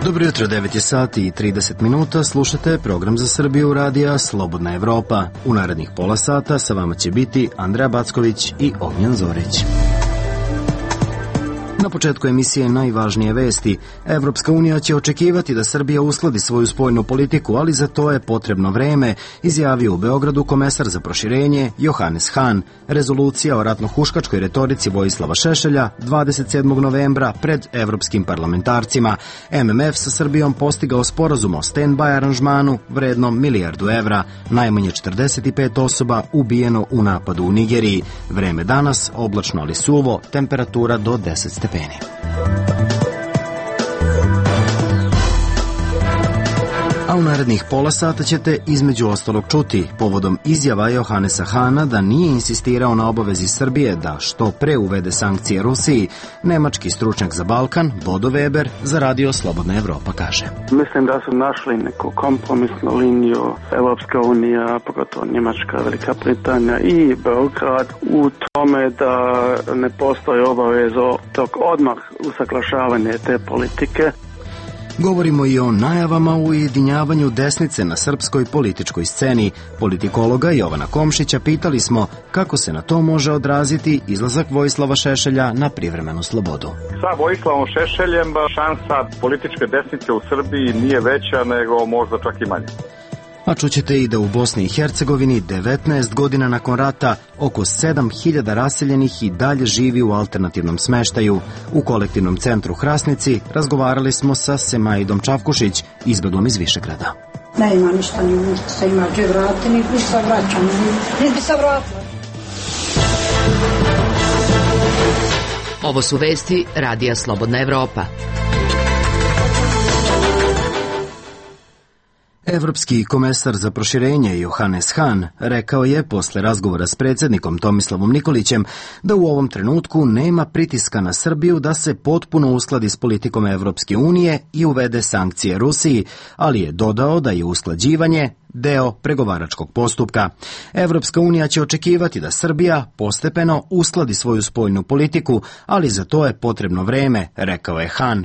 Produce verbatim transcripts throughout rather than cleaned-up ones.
Dobro jutro, devet je sati i trideset minuta, slušate program za Srbiju radija Slobodna Evropa. U narednih pola sata sa vama će biti Andreja Backović i Ognjen Zorić. Na početku emisije najvažnije vesti. Evropska unija će očekivati da Srbija uskladi svoju spoljnu politiku, ali za to je potrebno vreme, izjavio u Beogradu komesar za proširenje Johannes Hahn. Rezolucija o ratno-huškačkoj retorici Vojislava Šešelja dvadeset sedmog novembra pred evropskim parlamentarcima. M M F sa Srbijom postigao sporazum o stand-by aranžmanu vrednom milijardu evra. Najmanje četrdeset pet osoba ubijeno u napadu u Nigeriji. Vreme danas oblačno ali suvo, temperatura do deset stepeni. A u narednih pola sata ćete između ostalog čuti povodom izjava Johannesa Hahna da nije insistirao na obavezi Srbije da što pre uvede sankcije Rusiji. Nemački stručnjak za Balkan, Bodo Weber, za radio Slobodna Evropa kaže: Mislim da su našli neku kompromisnu liniju Evropska unija, pogotovo Njemačka, Velika Britanija i Beograd u tome da ne postoji obavezo tog odmah usaglašavanja te politike. Govorimo i o najavama u ujedinjavanju desnice na srpskoj političkoj sceni. Politikologa Jovana Komšića pitali smo kako se na to može odraziti izlazak Vojislava Šešelja na privremenu slobodu. Sa Vojislavom Šešeljem šansa političke desnice u Srbiji nije veća nego možda čak i manja. A čućete i da u Bosni i Hercegovini devetnaest godina nakon rata oko sedam hiljada raseljenih i dalje živi u alternativnom smeštaju. U kolektivnom centru Hrasnici razgovarali smo sa Semaidom Čavkušić, izbeglom iz Višegrada. Ne ima ništa, ni što se ima gdje vratiti, ni bi se vraćam, ni bi se vratila. Ovo su vesti radija Slobodna Evropa. Evropski komesar za proširenje Johannes Hahn rekao je posle razgovora s predsjednikom Tomislavom Nikolićem da u ovom trenutku nema pritiska na Srbiju da se potpuno uskladi s politikom Evropske unije i uvede sankcije Rusiji, ali je dodao da je usklađivanje deo pregovaračkog postupka. Evropska unija će očekivati da Srbija postepeno uskladi svoju spoljnu politiku, ali za to je potrebno vreme, rekao je Hahn.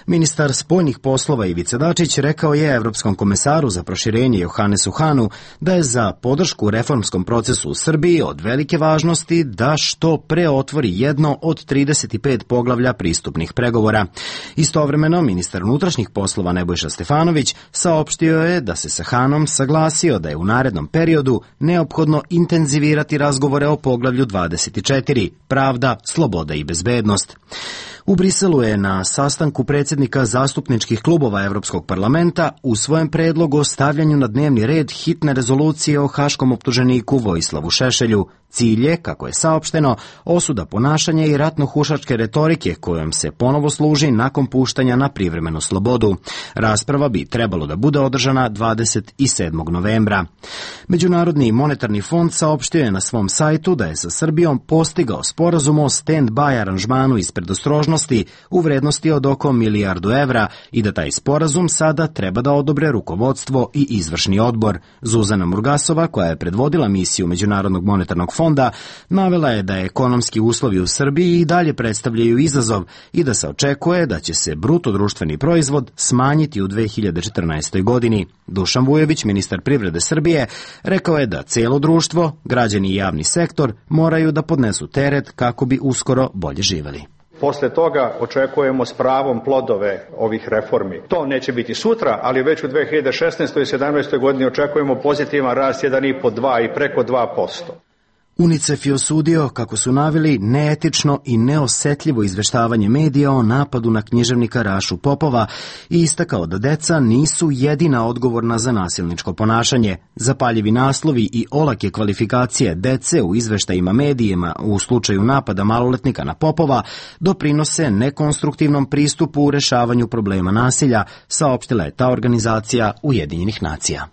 Ministar spoljnih poslova Ivica Dačić rekao je Evropskom komesaru za proširenje Johannesu Hahnu da je za podršku reformskom procesu u Srbiji od velike važnosti da što pre otvori jedno od trideset pet poglavlja pristupnih pregovora. Istovremeno, ministar unutrašnjih poslova Nebojša Stefanović saopštio je da se sa Hahnom saglasio da je u narednom periodu neophodno intenzivirati razgovore o poglavlju dvadeset četiri, pravda, sloboda i bezbednost. U Briselu je na sastanku predsjednika zastupničkih klubova Evropskog parlamenta usvojen predlog o stavljanju na dnevni red hitne rezolucije o haškom optuženiku Vojislavu Šešelju. Cilj je, kako je saopšteno, osuda ponašanja i ratno-hušačke retorike kojom se ponovo služi nakon puštanja na privremenu slobodu. Rasprava bi trebalo da bude održana dvadeset sedmog novembra. Međunarodni monetarni fond saopštio je na svom sajtu da je sa Srbijom postigao sporazum o stand-by aranžmanu iz predostrožnosti u vrednosti od oko milijardu evra i da taj sporazum sada treba da odobre rukovodstvo i izvršni odbor. Zuzana Murgasova, koja je predvodila misiju Međunarodnog monetarnog fonda, navela je da ekonomski uslovi u Srbiji i dalje predstavljaju izazov i da se očekuje da će se bruto društveni proizvod smanjiti u dve hiljade četrnaestoj. godini. Dušan Vujović, ministar privrede Srbije, rekao je da cijelo društvo, građani i javni sektor moraju da podnesu teret kako bi uskoro bolje živeli. Posle toga očekujemo s pravom plodove ovih reformi. To neće biti sutra, ali već u dve hiljade šesnaestoj i sedamnaestoj. godini očekujemo pozitivan rast jedan i po dva i preko dva posto. UNICEF je osudio, kako su naveli, neetično i neosetljivo izveštavanje medija o napadu na književnika Rašu Popova i istakao da deca nisu jedina odgovorna za nasilničko ponašanje. Zapaljivi naslovi i olake kvalifikacije dece u izveštajima medijima u slučaju napada maloletnika na Popova doprinose nekonstruktivnom pristupu u rešavanju problema nasilja, saopštila je ta organizacija Ujedinjenih nacija.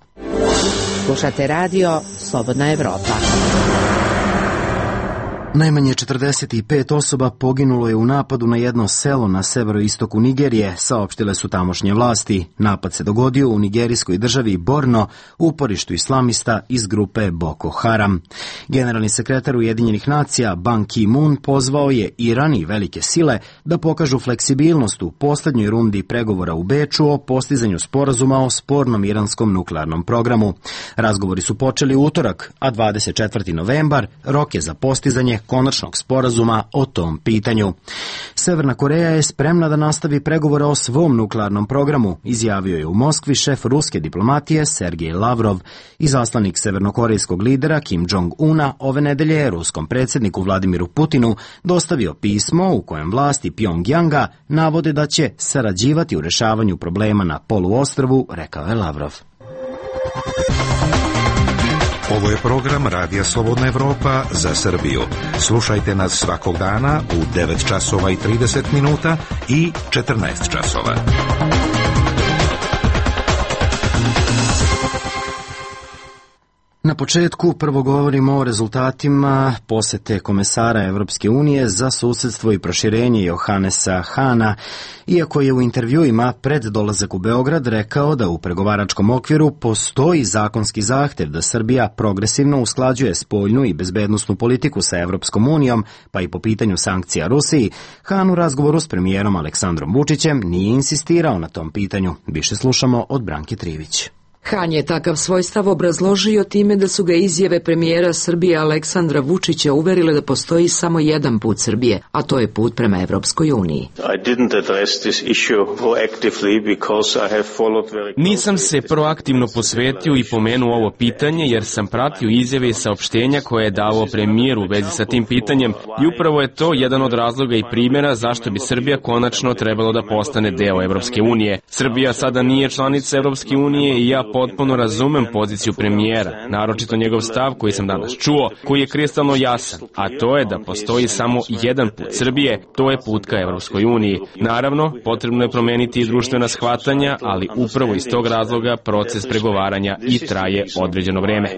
Slušate radio Slobodna Evropa. Najmanje četrdeset pet osoba poginulo je u napadu na jedno selo na severoistoku Nigerije, saopštile su tamošnje vlasti. Napad se dogodio u nigerijskoj državi Borno, uporištu islamista iz grupe Boko Haram. Generalni sekretar Ujedinjenih nacija Ban Ki-moon pozvao je Iran i velike sile da pokažu fleksibilnost u poslednjoj rundi pregovora u Beču o postizanju sporazuma o spornom iranskom nuklearnom programu. Razgovori su počeli u utorak, a dvadeset četvrti novembar rok je za postizanje konačnog sporazuma o tom pitanju. Severna Koreja je spremna da nastavi pregovore o svom nuklearnom programu, izjavio je u Moskvi šef ruske diplomatije Sergej Lavrov. Izaslanik severnokorejskog lidera Kim Jong-una ove nedelje je ruskom predsjedniku Vladimiru Putinu dostavio pismo u kojem vlasti Pjongjanga navode da će sarađivati u rešavanju problema na poluostrvu, rekao je Lavrov. Ovo je program Radija Slobodna Evropa za Srbiju. Slušajte nas svakog dana u devet časova i trideset minuta i četrnaest časova. Na početku prvo govorimo o rezultatima posete komesara Evropske unije za susedstvo i proširenje Johannesa Hahna, iako je u intervjuima pred dolazak u Beograd rekao da u pregovaračkom okviru postoji zakonski zahtev da Srbija progresivno usklađuje spoljnu i bezbednosnu politiku sa Evropskom unijom, pa i po pitanju sankcija Rusiji, Hahn u razgovoru s premijerom Aleksandrom Vučićem nije insistirao na tom pitanju. Više slušamo od Branke Trivić. Hahn je takav svoj stav obrazložio time da su ga izjave premijera Srbije Aleksandra Vučića uverile da postoji samo jedan put Srbije, a to je put prema Evropskoj uniji. Nisam se proaktivno posvetio i pomenuo ovo pitanje jer sam pratio izjave i saopštenja koje je davao premijer u vezi sa tim pitanjem i upravo je to jedan od razloga i primjera zašto bi Srbija konačno trebalo da postane deo Evropske unije. Srbija sada nije članica Evropske unije i ja potpuno razumem poziciju premijera, naročito njegov stav koji sam danas čuo, koji je kristalno jasan, a to je da postoji samo jedan put Srbije, to je put ka Evropskoj uniji. Naravno, potrebno je promeniti i društvena shvatanja, ali upravo iz tog razloga proces pregovaranja i traje određeno vreme.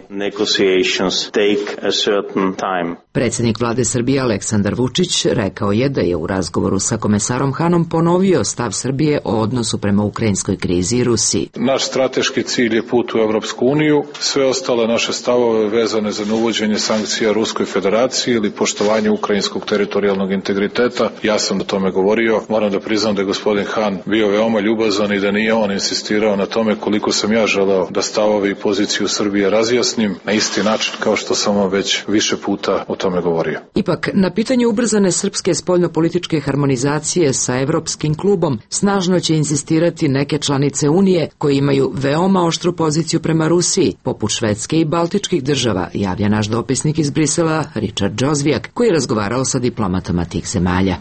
Predsjednik vlade Srbije Aleksandar Vučić rekao je da je u razgovoru sa komesarom Hahnom ponovio stav Srbije o odnosu prema ukrajinskoj krizi i Rusiji. Naš strateški cilj je put u Evropsku uniju, sve ostale naše stavove vezane za neuvođenje sankcija Ruskoj federaciji ili poštovanje ukrajinskog teritorijalnog integriteta, ja sam o tome govorio. Moram da priznam da je gospodin Hahn bio veoma ljubazan i da nije on insistirao na tome koliko sam ja želeo da stavove i poziciju Srbije razjasnim na isti način kao što sam vam već više puta o tome govorio. Ipak, na pitanju ubrzane srpske spoljnopolitičke harmonizacije sa Evropskim klubom snažno će insistirati neke članice Unije koje imaju veoma oštru poziciju prema Rusiji, poput Švedske i Baltičkih država, javlja naš dopisnik iz Brisela Richard Džozvijak, koji je razgovarao sa diplomatama tih zemalja.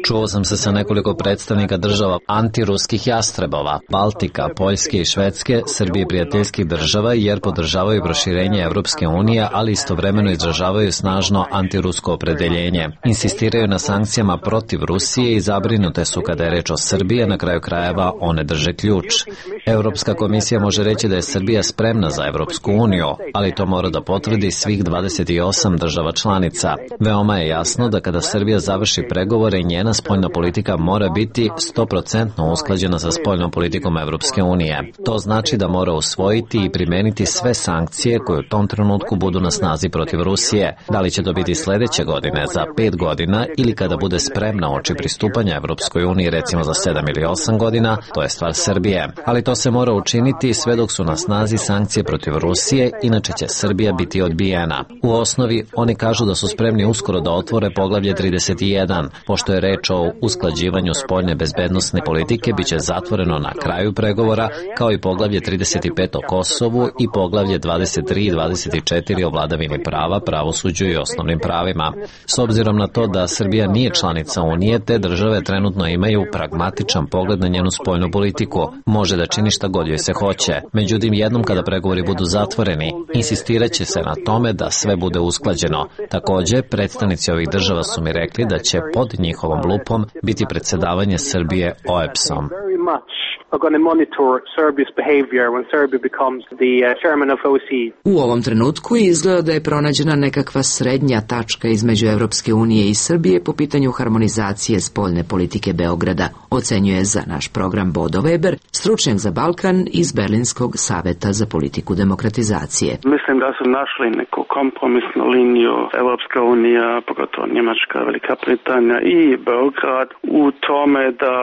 Čuo sam se sa nekoliko predstavnika država antiruskih jastrebova, Baltika, Poljske i Švedske, Srbije prijateljskih država, jer podržavaju proširenje Evropske unije, ali istovremeno izražavaju snažno antirusko opredeljenje. Insistiraju na sankcijama protiv Rusije i zabrinute su kada je reč o Srbiji, na kraju krajeva one drže ključ. Europska komisija može reći da je Srbija spremna za Evropsku uniju, ali to mora da potvrdi svih dvadeset osam država članica. Veoma je jasno da kada Srbija završi pregovore, njena spoljna politika mora biti sto posto usklađena sa spoljnom politikom Evropske unije. To znači da mora usvojiti i primeniti sve sankcije koje u tom trenutku budu na snazi protiv Rusije. Da li će to biti sledeće godine, za pet godina ili kada bude spremna oči pristupanja Evropskoj uniji, recimo za sedam ili osam godina, to je stvar Srbije. Ali to se mora učiniti sve dok su na snazi sankcije protiv Rusije, inače će Srbija biti odbijena. U osnovi, oni kažu da su spremni uskoro da otvore poglavlje trideset jedan. Pošto je reč o usklađivanju spoljne bezbednosne politike, bit će zatvoreno na kraju pregovora, kao i poglavlje trideset pet o Kosovu i poglavlje dvadeset tri i dvadeset četiri o vladavini prava, pravosuđu i osnovnim pravima. S obzirom na to da Srbija nije članica Unije, te države trenutno imaju pragmatičan pogled na njenu spoljnu politiku. Može da čini šta god joj se hoće. Međutim, jednom kada pregovori budu zatvoreni, insistirat će se na tome da sve bude usklađeno. Takođe, predstavnici ovih država su mi rekli da će pod njihovom lupom biti predsedavanje Srbije O E B S-om. are going to monitor Serbia's behavior when Serbia becomes the uh, chairman of O S C E. U ovom trenutku izgleda da je pronađena nekakva srednja tačka između Evropske unije i Srbije po pitanju harmonizacije spoljne politike Beograda, ocenjuje za naš program Bodo Weber, stručnjak za Balkan iz Berlinskog saveta za politiku demokratizacije. Mislim da su našli neku kompromisnu liniju Evropska unija, pogotovo Njemačka, Velika Britanija i Beograd u tome da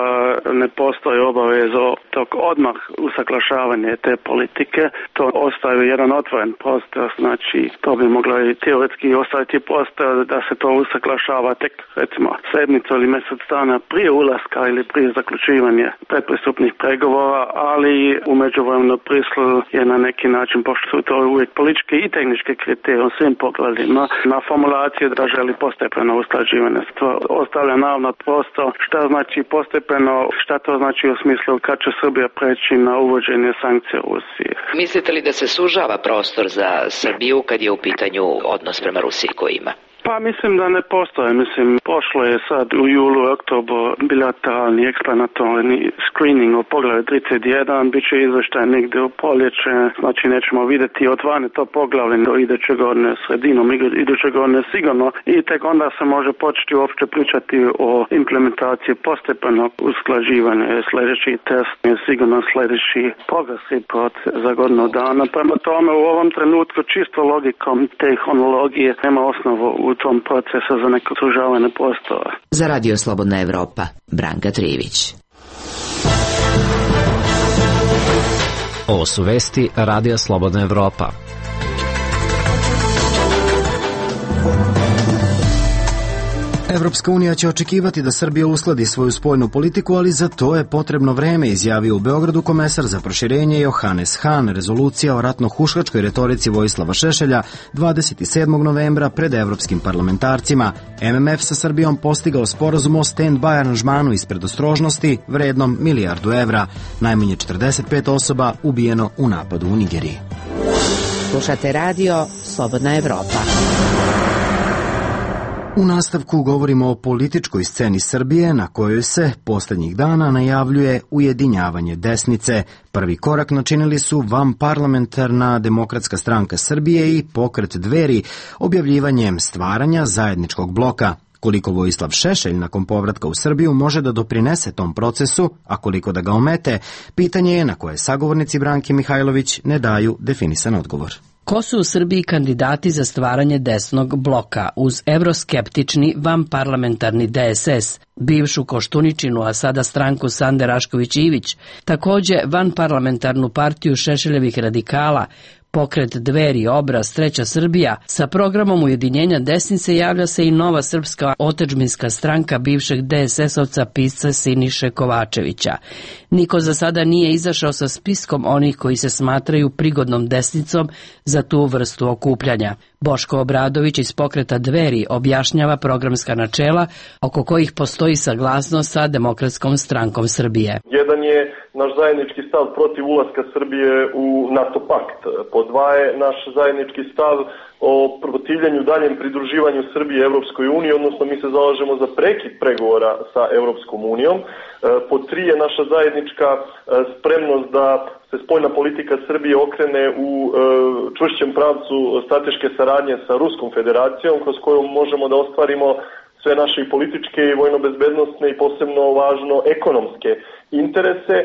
ne postoji obavezo tog odmah usaglašavanja te politike. To ostaje jedan otvoren prostor, znači to bi moglo i teoretski ostaviti prostor da se to usaglašava tek recimo sedmicu ili mjesec dana prije ulaska ili prije zaključivanja predpristupnih pregovora, ali u međuvremenu Brisel je na neki način, pošto su to uvijek političke i tehničke kriterije u svim pogledima, na formulaciji da želi postepeno usklađivanje. To ostavlja naravno prostor šta znači postepeno, šta to znači u smislu kad će Srbija preći na uvođenje sankcija u Rusiji. Mislite li da se sužava prostor za Srbiju kad je u pitanju odnos prema Rusiji koji ima? Pa mislim da ne postoje. Mislim, pošlo je sad u julu i oktobru bilateralni eksplanatorni screening u poglavlju trideset jedan, bit će izvještaj negdje u proljeće, znači nećemo vidjeti otvane to poglavlje do iduće godine sredinom, iduće godine sigurno i tek onda se može početi uopće pričati o implementaciji postepenog usklađivanja. Sljedeći test je sigurno sljedeći progresivni proces za godinu dana. Prema tome u ovom trenutku čisto logikom te hronologije nema osnovu u tom procesu za neko sužavanje prostora. Za Radio Slobodna Evropa, Branka Trivić. Ovo su vesti Radija Slobodna Evropa. Evropska unija će očekivati da Srbija uskladi svoju spoljnu politiku, ali za to je potrebno vreme, izjavio u Beogradu komesar za proširenje Johannes Hahn. Rezolucija o ratno-huškačkoj retorici Vojislava Šešelja dvadeset sedmog novembra pred evropskim parlamentarcima. M M F sa Srbijom postigao sporazum o stand-by aranžmanu iz predostrožnosti vrednom milijardu evra. Najmanje četrdeset pet osoba ubijeno u napadu u Nigeriji. Slušate radio Slobodna Evropa. U nastavku govorimo o političkoj sceni Srbije na kojoj se posljednjih dana najavljuje ujedinjavanje desnice. Prvi korak načinili su vanparlamentarna Demokratska stranka Srbije i pokret Dveri objavljivanjem stvaranja zajedničkog bloka. Koliko Vojislav Šešelj nakon povratka u Srbiju može da doprinese tom procesu, a koliko da ga omete, pitanje je na koje sagovornici Branke Mihajlović ne daju definisan odgovor. Ko su u Srbiji kandidati za stvaranje desnog bloka uz evroskeptični vanparlamentarni D S S, bivšu Koštuničinu, a sada stranku Sande Rašković-Ivić, takođe vanparlamentarnu partiju Šešeljevih radikala, pokret Dveri, Obraz, Treća Srbija, sa programom ujedinjenja desnice javlja se i nova srpska otadžbinska stranka bivšeg D S S-ovca pisca Siniše Kovačevića. Niko za sada nije izašao sa spiskom onih koji se smatraju prigodnom desnicom za tu vrstu okupljanja. Boško Obradović iz pokreta Dveri objašnjava programska načela oko kojih postoji saglasnost sa Demokratskom strankom Srbije. Jedan je naš zajednički stav protiv ulaska Srbije u NATO pakt. Po dva je naš zajednički stav o protivljenju daljem pridruživanju Srbije Evropskoj uniji, odnosno mi se zalažemo za prekid pregovora sa Evropskom unijom. Po tri je naša zajednička spremnost da se spoljna politika Srbije okrene u čvršćem pravcu strateške saradnje sa Ruskom federacijom, kroz koju možemo da ostvarimo sve naše i političke i vojno-bezbednostne i posebno važno ekonomske interese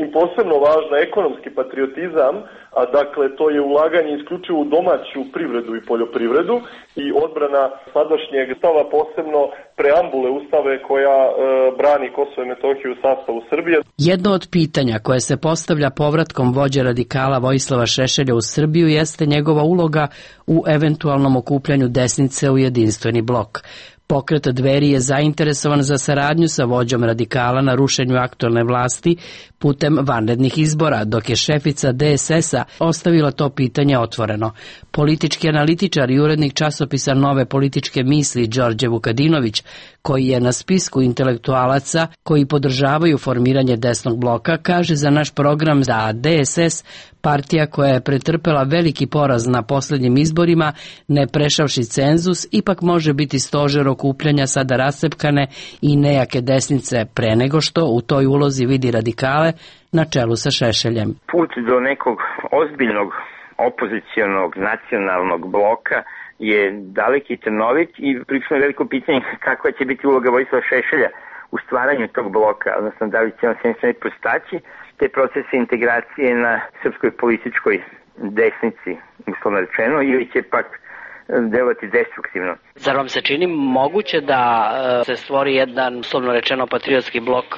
i posebno važno ekonomski patriotizam, a dakle to je ulaganje isključivo u domaću privredu i poljoprivredu i odbrana sadašnjeg stava, posebno preambule ustave koja e, brani Kosovo i Metohiju u sastavu Srbije. Jedno od pitanja koje se postavlja povratkom vođe radikala Vojislava Šešelja u Srbiju jeste njegova uloga u eventualnom okupljanju desnice u jedinstveni blok. Pokret Dveri je zainteresovan za saradnju sa vođom radikala na rušenju aktuelne vlasti putem vanrednih izbora, dok je šefica D S S-a ostavila to pitanje otvoreno. Politički analitičar i urednik časopisa Nove političke misli Đorđe Vukadinović, koji je na spisku intelektualaca koji podržavaju formiranje desnog bloka, kaže za naš program da D S S Partija koja je pretrpela veliki poraz na posljednjim izborima, ne prešavši cenzus, ipak može biti stožer okupljanja sada rascepkane i nejake desnice pre nego što u toj ulozi vidi radikale na čelu sa Šešeljem. Put do nekog ozbiljnog opozicionog nacionalnog bloka je dalek i trnovit i prilično veliko pitanje kakva će biti uloga Vojislava Šešelja u stvaranju tog bloka, odnosno da li će on sve sve prostaći te procese integracije na srpskoj političkoj desnici, uslovno rečeno, ili će pak delovati destruktivno. Zar vam se čini moguće da se stvori jedan, uslovno rečeno, patriotski blok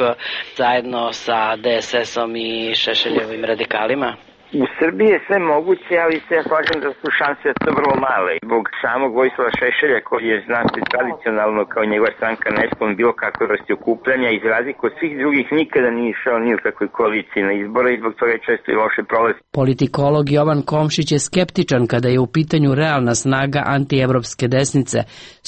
zajedno sa D S S-om i Šešeljevim radikalima? U Srbiji je sve moguće, ali se ja slažem da su šanse to vrlo male. Zbog samog Vojislava Šešelja, koji je znati tradicionalno kao njegova stranka nesklon bilo kakve vrste okupljanja, iz razliku od svih drugih nikada nije išao ni u kakvoj koaliciji na izbore i zbog toga je često i loše prolazi. Politikolog Jovan Komšić je skeptičan kada je u pitanju realna snaga antievropske desnice,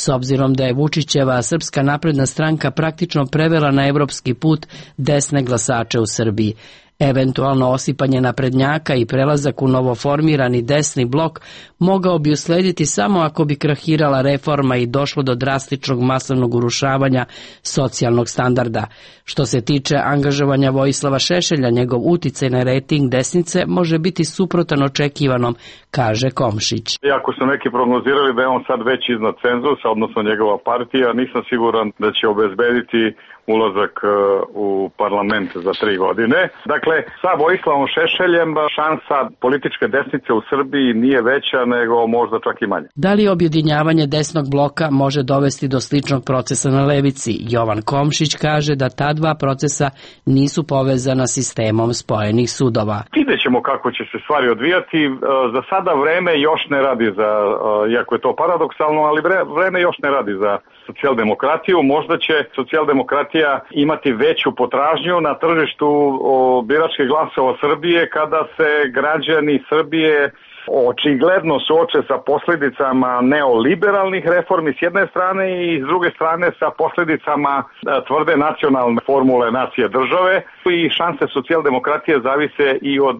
s obzirom da je Vučićeva Srpska napredna stranka praktično prevela na evropski put desne glasače u Srbiji. Eventualno osipanje naprednjaka i prelazak u novoformirani desni blok mogao bi uslediti samo ako bi krahirala reforma i došlo do drastičnog masovnog urušavanja socijalnog standarda. Što se tiče angažovanja Vojislava Šešelja, njegov uticaj na rejting desnice može biti suprotan očekivanom, kaže Komšić. Iako su neki prognozirali da je on sad već iznad cenzusa, odnosno njegova partija, nisam siguran da će obezbediti ulazak u parlament za tri godine. Dakle, sa Vojislavom Šešeljem šansa političke desnice u Srbiji nije veća nego možda čak i manje. Da li objedinjavanje desnog bloka može dovesti do sličnog procesa na levici? Jovan Komšić kaže da ta dva procesa nisu povezana sistemom spojenih sudova. Vidjet ćemo kako će se stvari odvijati. Za sada vreme još ne radi za, iako je to paradoksalno, ali vreme još ne radi za socijaldemokratiju. Možda će socijaldemokratija imati veću potražnju na tržištu biračkih glasova Srbije kada se građani Srbije očigledno suoče sa posljedicama neoliberalnih reformi s jedne strane i s druge strane sa posljedicama tvrde nacionalne formule nacije države i šanse socijaldemokratije zavise i od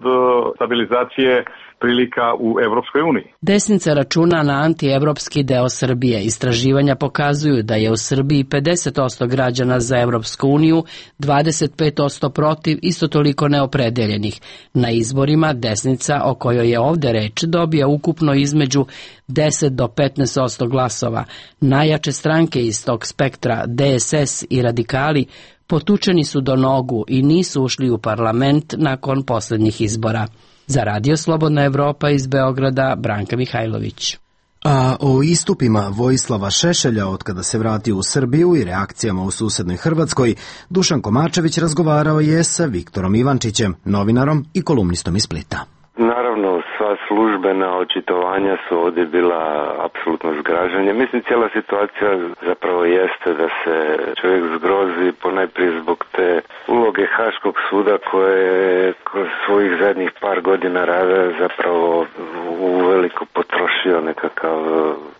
stabilizacije prilika u Evropskoj uniji. Desnica računa na antievropski deo Srbije. Istraživanja pokazuju da je u Srbiji pedeset posto građana za Evropsku uniju, dvadeset pet posto protiv, isto toliko neopredeljenih. Na izborima desnica, o kojoj je ovde reč, dobija ukupno između deset do petnaest posto glasova. Najjače stranke iz tog spektra, D S S i radikali, potučeni su do nogu i nisu ušli u parlament nakon posljednjih izbora. Za Radio Slobodna Evropa iz Beograda, Branka Mihajlović. A o istupima Vojislava Šešelja od kada se vratio u Srbiju i reakcijama u susednoj Hrvatskoj, Dušan Komačević razgovarao je sa Viktorom Ivančićem, novinarom i kolumnistom iz Splita. Naravno, sva službena očitovanja su ovdje bila apsolutno zgražanje. Mislim, cijela situacija zapravo jeste da se čovjek zgrozi ponajprije zbog te uloge Haškog suda koje je kroz svojih zadnjih par godina rada zapravo uveliko potrošio nekakav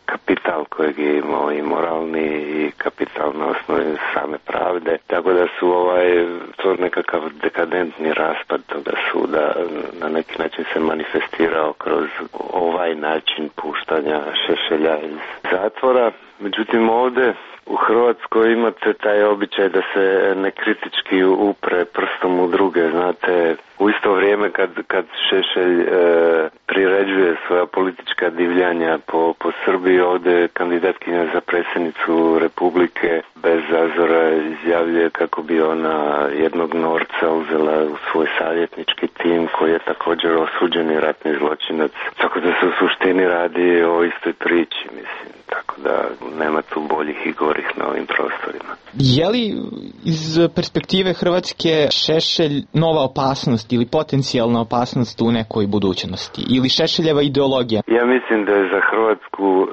kapital kojeg je imao i moralni i kapital na osnovi same pravde. Tako da su ovaj, to nekakav dekadentni raspad toga suda na neki način se manifestirao kroz ovaj način puštanja Šešelja iz zatvora. Međutim, ovdje u Hrvatskoj imate taj običaj da se nekritički upre prstom u druge. Znate, u isto vrijeme kad, kad Šešelj e, priređuje svoja politička divljanja po, po Srbiji, ovdje kandidatkinja za predsjednicu Republike bez zazora izjavljuje kako bi ona jednog norca uzela u svoj savjetnički tim koji je također osuđeni ratni zločinac. Tako da se u suštini radi o istoj priči, mislim. Tako da nema tu boljih i gorih na ovim prostorima. Je li iz perspektive Hrvatske Šešelj nova opasnost ili potencijalna opasnost u nekoj budućnosti? Ili Šešeljeva ideologija? Ja mislim da je za Hrvatsku e,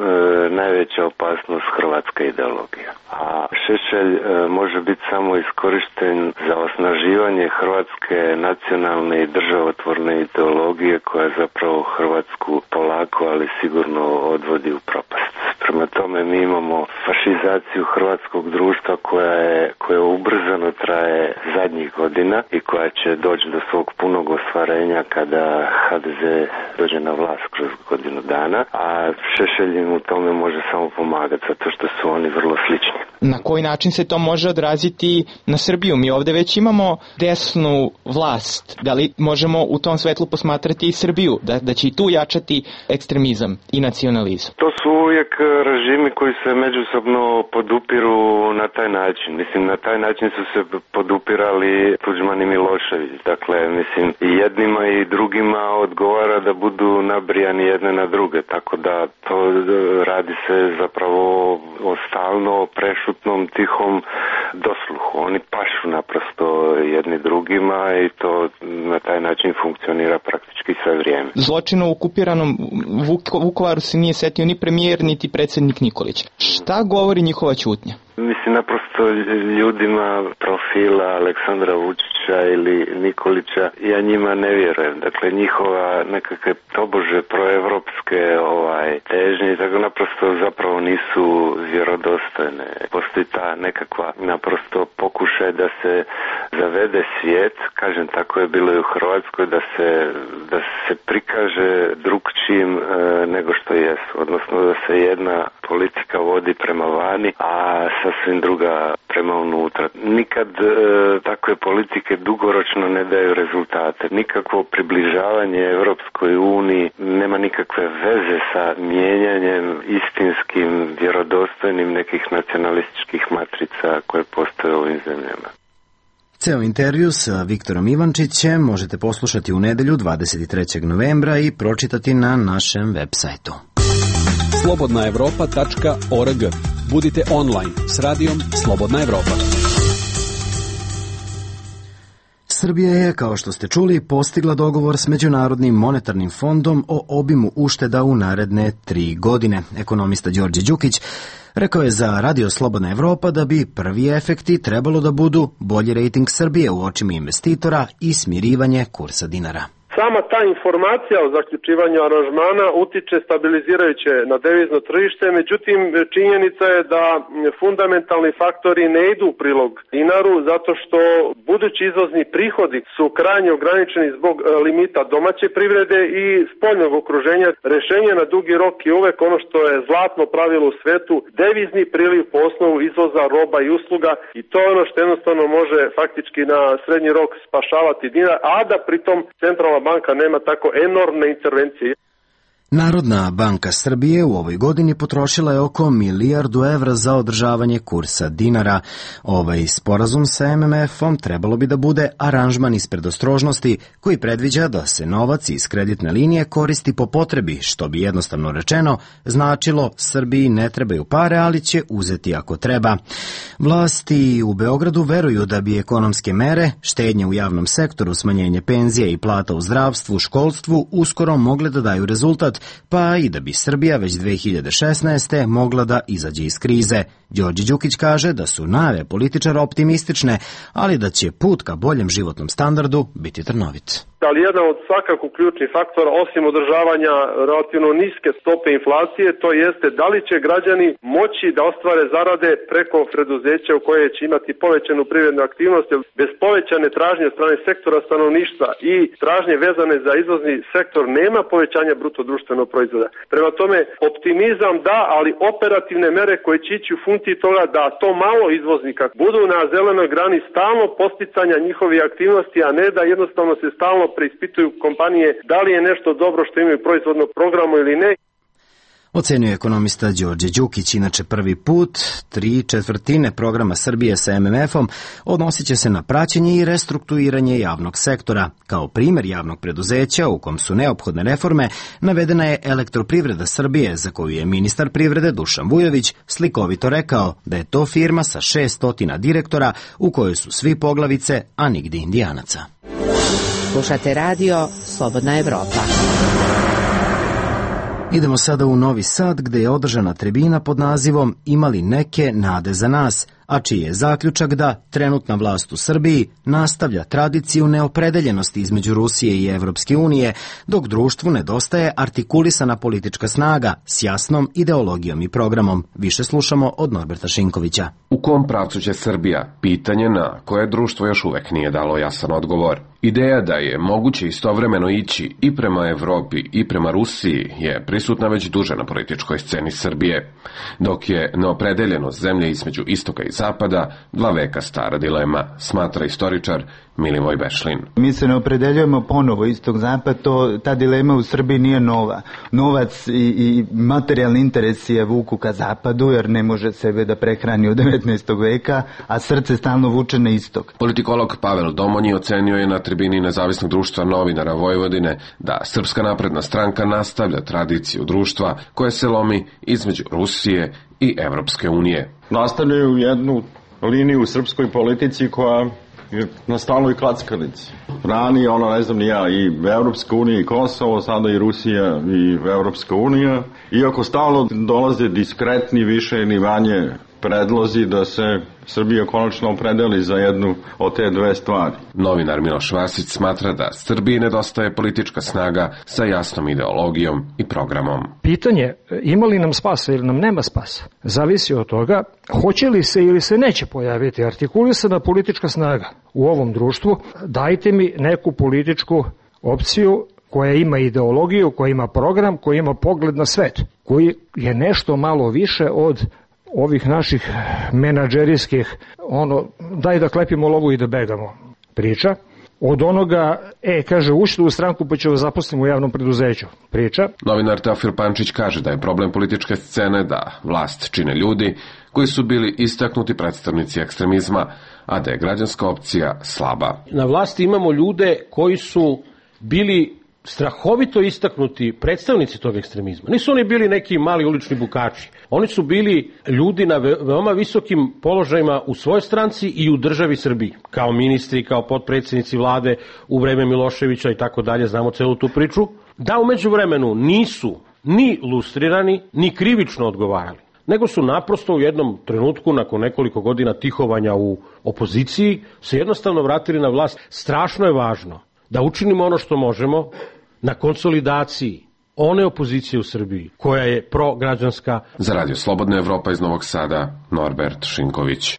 najveća opasnost hrvatska ideologija. A Šešelj e, može biti samo iskorišten za osnaživanje hrvatske nacionalne i državotvorne ideologije koja zapravo Hrvatsku polako, ali sigurno odvodi u propast. Prema tome mi imamo fašizaciju hrvatskog društva koja je, koja ubrzano traje zadnjih godina i koja će doći do svog punog ostvarenja kada ha de ze dođe na vlast kroz godinu dana, a Šešelj im u tome može samo pomagati zato što su oni vrlo slični. Na koji način se to može odraziti na Srbiju? Mi ovde već imamo desnu vlast. Da li možemo u tom svetlu posmatrati i Srbiju? Da, da će i tu jačati ekstremizam i nacionalizam? To su uvijek režimi koji se međusobno podupiru na taj način. Mislim, na taj način su se podupirali Tuđman i Milošević. Dakle, mislim, i jednima i drugima odgovara da budu nabrijani jedne na druge. Tako da to radi se zapravo o stalno prešutnom, tihom dosluhu. Oni pašu naprosto jedni drugima i to na taj način funkcionira praktički sve vrijeme. Zločinu u okupiranom Vuk- Vukovaru se nije setio ni premijer, niti predsjednik Nikolić. Šta govori njihova ćutnja? Mislim, naprosto ljudima profila Aleksandra Vučića ili Nikolića, ja njima ne vjerujem. Dakle, njihova nekakve tobože proevropske ovaj, težnje, tako naprosto zapravo nisu vjerodostojne. Postoji ta nekakva naprosto pokušaj da se zavede svijet, kažem, tako je bilo i u Hrvatskoj, da se, da se prikaže drugčijim e, nego što jesu. Odnosno da se jedna politika vodi prema vani, a sasvim druga prema unutra. Nikad e, takve politike dugoročno ne daju rezultate. Nikakvo približavanje Evropskoj uniji nema nikakve veze sa mijenjanjem istinskim, vjerodostojnim nekih nacionalističkih matrica koje postoje u ovim zemljama. Ceo intervju sa Viktorom Ivančićem možete poslušati u nedelju dvadeset trećeg novembra i pročitati na našem web sajtu. slobodna evropa tačka org. Budite online s radijom Slobodna Evropa. Srbija je, kao što ste čuli, postigla dogovor s Međunarodnim monetarnim fondom o obimu ušteda u naredne tri godine. Ekonomista Đorđe Đukić rekao je za Radio Slobodna Evropa da bi prvi efekti trebalo da budu bolji rejting Srbije u očima investitora i smirivanje kursa dinara. Sama ta informacija o zaključivanju aranžmana utiče stabilizirajuće na devizno tržište, međutim činjenica je da fundamentalni faktori ne idu u prilog dinaru zato što budući izvozni prihodi su krajnje ograničeni zbog limita domaće privrede i spoljnog okruženja. Rešenje na dugi rok je uvek ono što je zlatno pravilo u svetu, devizni priliv po osnovu izvoza roba i usluga i to je ono što jednostavno može faktički na srednji rok spašavati dinar, a da pritom centralna banka nema tako enormne intervencije. Narodna banka Srbije u ovoj godini potrošila je oko milijardu evra za održavanje kursa dinara. Ovaj sporazum sa em em efom trebalo bi da bude aranžman iz predostrožnosti koji predviđa da se novac iz kreditne linije koristi po potrebi, što bi jednostavno rečeno značilo Srbiji ne trebaju pare, ali će uzeti ako treba. Vlasti u Beogradu veruju da bi ekonomske mere, štednje u javnom sektoru, smanjenje penzija i plata u zdravstvu, školstvu uskoro mogle da daju rezultat, pa i da bi Srbija već dve hiljade šesnaeste. mogla da izađe iz krize. Đorđe Đukić kaže da su najave političara optimistične, ali da će put ka boljem životnom standardu biti trnovit. Ali jedan od svakako ključnih faktora, osim održavanja relativno niske stope inflacije, to jeste da li će građani moći da ostvare zarade preko preduzeća u koje će imati povećanu privrednu aktivnost, jer bez povećane tražnje od strane sektora stanovništva i tražnje vezane za izvozni sektor nema povećanja bruto društvenog proizvoda. Prema tome, optimizam da, ali operativne mere koje će ići u funkciji toga da to malo izvoznika budu na zelenoj grani stalno posticanja njihovih aktivnosti, a ne da jednostavno se stalno preispituju kompanije da li je nešto dobro što imaju proizvodnog programu ili ne. Ocenio je ekonomista Đorđe Đukić. Inače, prvi put tri četvrtine programa Srbije sa em em efom odnosit će se na praćenje i restrukturiranje javnog sektora. Kao primjer javnog preduzeća u kom su neophodne reforme navedena je Elektroprivreda Srbije, za koju je ministar privrede Dušan Vujović slikovito rekao da je to firma sa šesnaest direktora u kojoj su svi poglavice, a nigde Indijanaca. Slušate radio Slobodna Evropa. Idemo sada u Novi Sad, gde je održana tribina pod nazivom Imali neke nade za nas, a čiji je zaključak da trenutna vlast u Srbiji nastavlja tradiciju neopredeljenosti između Rusije i Evropske unije, dok društvu nedostaje artikulisana politička snaga s jasnom ideologijom i programom. Više slušamo od Norberta Šinkovića. U kom pravcu će Srbija? Pitanje na koje društvo još uvek nije dalo jasan odgovor. Ideja da je moguće istovremeno ići i prema Evropi i prema Rusiji je prisutna već duže na političkoj sceni Srbije, dok je neopredeljenost zemlje između istoka i zapada dva veka stara dilema, smatra istoričar Milivoj Bešlin. Mi se ne opredeljujemo ponovo istok-zapad, to, ta dilema u Srbiji nije nova. Novac i, i materijalni interesi je vuku ka zapadu, jer ne može sebe da prehrani od devetnaestog veka, a srce stalno vuče na istok. Politikolog Pavel Domonji ocenio je na tribini Nezavisnog društva novinara Vojvodine da Srpska napredna stranka nastavlja tradiciju društva koje se lomi između Rusije i Evropske unije. Nastavljaju jednu liniju u srpskoj politici koja je na stalnoj klackalici. Ranije, ono ne znam ni ja, i Evropska unija i Kosovo, sada i Rusija i Evropska unija. Iako stalno dolaze diskretni više ili manje predlozi da se Srbija konačno opredeli za jednu od te dve stvari. Novinar Miloš Vasić smatra da Srbiji nedostaje politička snaga sa jasnom ideologijom i programom. Pitanje ima li nam spasa ili nam nema spasa zavisi od toga hoće li se ili se neće pojaviti artikulisana politička snaga u ovom društvu. Dajte mi neku političku opciju koja ima ideologiju, koja ima program, koja ima pogled na svet, koji je nešto malo više od ovih naših menadžerijskih, ono, daj da klepimo lovu i da begamo priča, od onoga, e, kaže, ušli u stranku pa će vas zaposliti u javnom preduzeću priča. Novinar Teofil Pančić kaže da je problem političke scene da vlast čine ljudi koji su bili istaknuti predstavnici ekstremizma, a da je građanska opcija slaba. Na vlasti imamo ljude koji su bili strahovito istaknuti predstavnici tog ekstremizma. Nisu oni bili neki mali ulični bukači. Oni su bili ljudi na veoma visokim položajima u svojoj stranci i u državi Srbiji. Kao ministri, kao potpredsjednici vlade u vreme Miloševića i tako dalje, znamo celu tu priču. Da u međuvremenu nisu ni lustrirani, ni krivično odgovarali, nego su naprosto u jednom trenutku, nakon nekoliko godina tihovanja u opoziciji, se jednostavno vratili na vlast. Strašno je važno da učinimo ono što možemo na konsolidaciji one opozicije u Srbiji koja je prograđanska. Za Radio Slobodna Evropa iz Novog Sada, Norbert Šinković.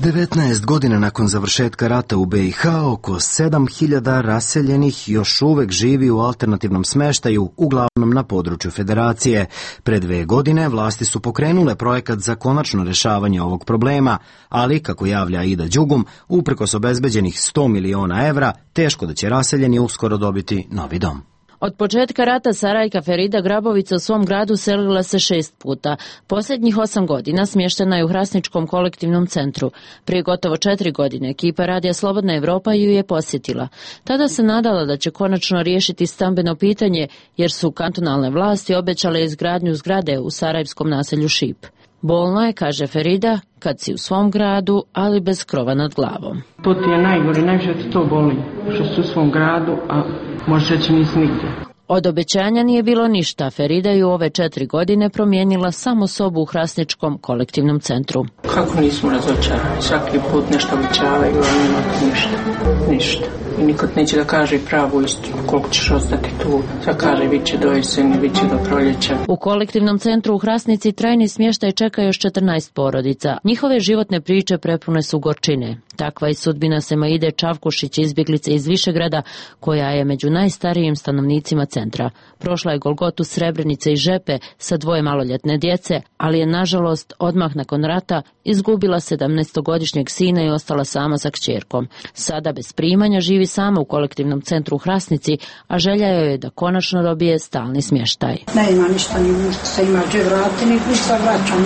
devetnaest godina nakon završetka rata u be i ha, oko sedam hiljada raseljenih još uvek živi u alternativnom smeštaju, uglavnom na području Federacije. Pre dve godine vlasti su pokrenule projekat za konačno rešavanje ovog problema, ali, kako javlja Aida Đugum, uprkos obezbeđenih sto miliona evra, teško da će raseljeni uskoro dobiti novi dom. Od početka rata Sarajka Ferida Grabovica u svom gradu selila se šest puta. Posljednjih osam godina smještena je u Hrasničkom kolektivnom centru. Prije gotovo četiri godine ekipa Radija Slobodna Evropa ju je posjetila. Tada se nadala da će konačno riješiti stambeno pitanje, jer su kantonalne vlasti obećale izgradnju zgrade u sarajevskom naselju Šip. Bolno je, kaže Ferida, kad si u svom gradu, ali bez krova nad glavom. To ti je najgore, najviše ti to boli, što si u svom gradu, a može reći nisi nigdje. Od obećanja nije bilo ništa. Ferida je u ove četiri godine promijenila samo sobu u Hrasničkom kolektivnom centru. Kako nismo razočarani, svaki put nešto obećavaju, a nema ništa, ništa. I nikad neće da kaže pravu istinu, koliko ćeš ostati tu. Sad kaže, bit će do jeseni, bit će do proljeća. U kolektivnom centru u Hrasnici trajni smještaj čeka još četrnaest porodica. Njihove životne priče prepune su gorčine. Takva je sudbina Semaide Čavkušić, izbjeglice iz Višegrada, koja je među najstarijim stanovnicima centra. Prošla je Golgotu, Srebrenice i Žepe sa dvoje maloljetne djece, ali je nažalost odmah nakon rata izgubila sedamnaestogodišnjeg sina i ostala sama sa kćerkom. Sada bez primanja živi sama u kolektivnom centru u Hrasnici, a želja joj je da konačno dobije stalni smještaj. Ne ima ništa, ni ništa se ima gdje vrati, ni ništa vraćam,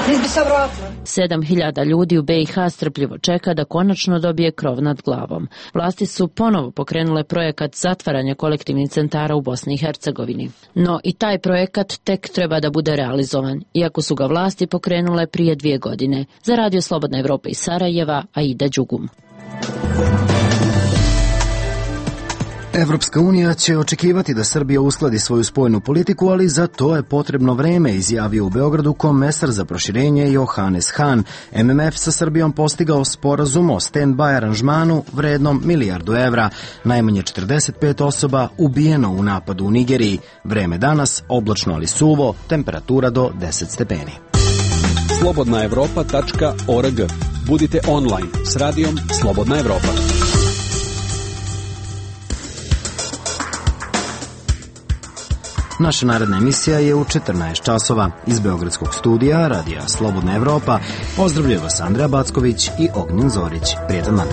ni bi se vratila. Sedam hiljada ljudi u be i ha strpljivo čeka da konačno dobije krov nad glavom. Vlasti su ponovo pokrenule projekat zatvaranja kolektivnih centara u Bosni i Hercegovini. No i taj projekat tek treba da bude realizovan, iako su ga vlasti pokrenule prije dvije godine. Za Radio Slobodna Evropa iz Sarajeva, Aida Đugum. Evropska unija će očekivati da Srbija uskladi svoju spoljnu politiku, ali za to je potrebno vreme, izjavio u Beogradu komesar za proširenje Johannes Hahn. M M F sa Srbijom postigao sporazum o stand-by aranžmanu vrednom milijardu evra. Najmanje četrdeset pet osoba ubijeno u napadu u Nigeriji. Vreme danas oblačno ali suvo, temperatura do deset stepeni. slobodna evropa tačka org. Budite online s radijom Slobodna Evropa. Naša naredna emisija je u četrnaest časova. Iz Beogradskog studija Radija Slobodna Evropa pozdravljaju vas Andreja Backović i Ognjen Zorić. Prijetan dan.